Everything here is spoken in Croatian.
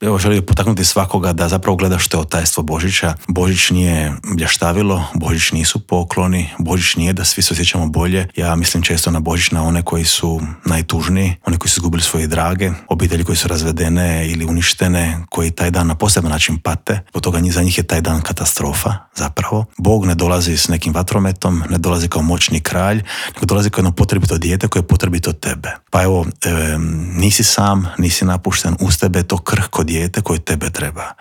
evo želio potaknuti svakoga da zapravo gleda što je tajstvo Božića. Božić nije blještavilo, Božić nisu pokloni, Božić nije da svi se osjećamo bolje. Ja mislim često na Božić na one koji su najtužniji, one koji su izgubili svoje drage, obitelji koji su razvedene ili uništene, koji taj dan na poseban način pate. Od toga za njih je taj dan katastrofa zapravo. Bog ne dolazi s nekim vatrometom, ne dolazi kao moćni kralj, nego dolazi kao jedno potrebito dijete koje je potrebito tebe. Pa evo, nisi sam, nisi napušten, uz tebe je to krhko dijete koje tebe treba.